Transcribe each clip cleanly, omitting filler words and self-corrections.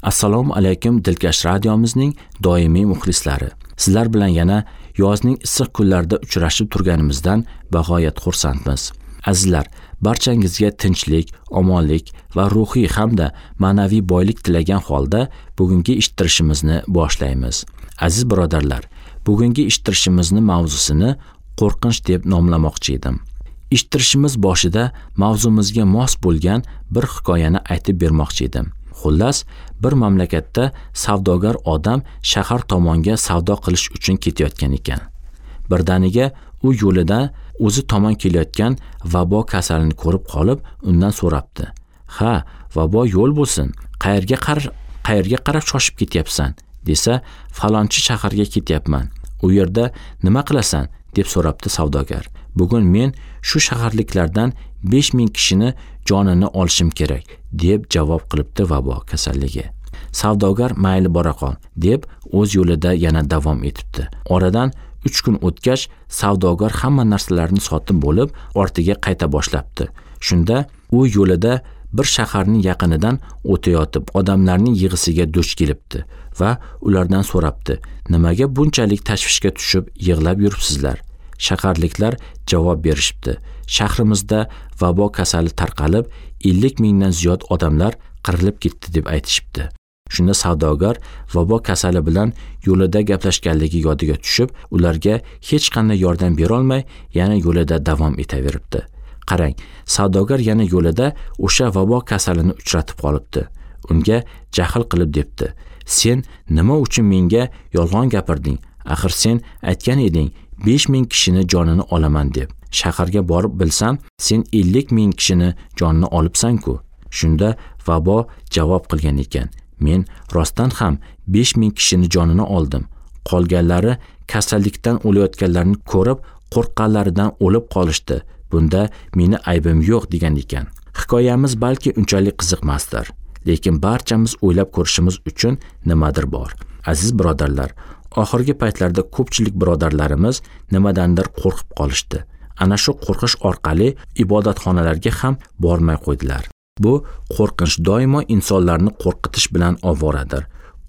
Assalomu alaykum Dilkash radiomizning doimiy muxlislari. Sizlar bilan yana yozning issiq kunlarida uchrashib turganimizdan bag'oyat xursandmiz. Azizlar, barchangizga tinchlik, omonlik va ruhiy hamda ma'naviy boylik tilagan holda bugungi eshittirishimizni boshlaymiz. Aziz birodarlar, bugungi eshittirishimizni mavzusini qo'rqinch deb nomlamoqchi edim. Eshittirishimiz boshida mavzumizga mos bo'lgan bir hikoyani aytib bermoqchi edim. Xullas, bir mamlakatda savdogar odam shahar tomonga savdo qilish uchun ketayotgan ekan. Birdaniga u yo'lida o'zi tomon kelayotgan vabo kasalini ko'rib qolib, undan so'rabdi. "Ha, vabo yo'l bo'lsin, qayerga qarab shoshib ketyapsan?" desa, "Falonchi shaharga ketyapman. U yerda nima qilasan?" deb so'rabdi savdogar. "Bugun men shu shaharliklardan 5000 kishini jonini olishim kerak" deb javob qilibdi vabo kasalligi. Savdogar mayli bora qol deb o'z yo'lida yana davom etibdi. Oradan 3 kun o'tgach, savdogar hamma narsalarni sotib bo'lib, ortiga qayta boshlabdi. Shunda u yo'lida bir shaharning yaqinidan o'tayotib, odamlarning yig'isiga duch kelibdi va ulardan so'rabdi: "Nimaga bunchalik tashvishga tushib yig'lab yuribsizlar?" Shaharliklar javob berishibdi: "Shahrimizda vabo kasali tarqalib, 50 mingdan ziyod odamlar qirilib ketdi" deb aytishibdi. Shunda savdogar vabo kasali bilan yo'lida gaplashganligi yodiga tushib, ularga hech qanday yordam bera olmay, yana yo'lida davom etaveribdi. Qarang, savdogar yana yo'lida o'sha vabo kasalini uchratib qolibdi. Unga jahl qilib debdi: "Sen nima uchun menga yolg'on gapirding? Axir sen aytgan eding 5000 kishini jonini olaman deb. Shaharga borib bilsam, sen 50 ming kishini jonini olibsan-ku." Shunda vabo javob qilgan ekan: "Men rostdan ham 5000 kishini jonini oldim. Qolganlari kasallikdan o'layotganlarni ko'rib, qo'rqqanlaridan o'lib qolishdi. Bunda meni aybim yo'q" degan ekan. Hikoyamiz balki unchalik qiziqmasdir, lekin barchamiz o'ylab ko'rishimiz uchun nimadir bor. Aziz birodarlar, oxirgi paytlarda ko'pchilik birodarlarimiz nimadandir qo'rqib qolishdi. Ana shu qo'rqish orqali ibodatxonalarga ham bormay qo'ydilar. Bu qo'rqinch doimo insonlarni qo'rqitish bilan ovoradir.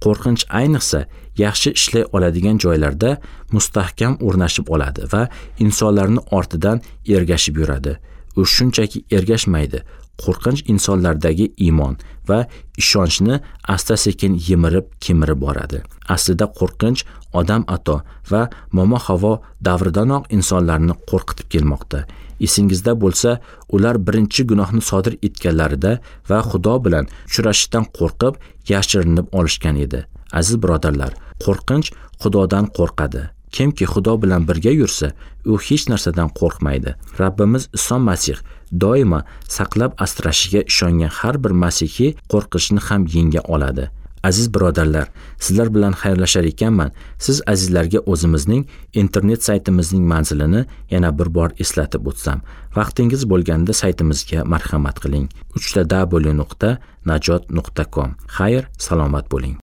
Qo'rqinch ayniqsa yaxshi ishlay oladigan joylarda mustahkam o'rnashib oladi va insonlarni ortidan ergashib yuradi. U shunchaki ergashmaydi. Qo'rqinch insonlardagi iymon va ishonchni asta-sekin yemirib, kemirib boradi. Aslida qo'rqinch Odam ato va Momo Havo davridanoq insonlarni qo'rqitib kelmoqda. Esingizda bo'lsa, ular birinchi gunohni sodir etganlarida va Xudo bilan uchrashishdan qo'rqib, yashirinib olishgan edi. Aziz birodarlar, qo'rqinch Xudodan qo'rqadi. Kimki Xudo bilan birga yursa, u hech narsadan qo'rqmaydi. Rabbimiz Iso Masih doimo saqlab asrashiga ishongan har bir masihiy qo'rqinchni ham yenga oladi. Aziz birodarlar, sizlar bilan xayrlashar ekanman, siz azizlarga o'zimizning internet saytimizning manzilini yana bir bor eslatib o'tsam. Vaqtingiz bo'lganda saytimizga marhamat qiling. www.najot.com. Xayr, salomat bo'ling.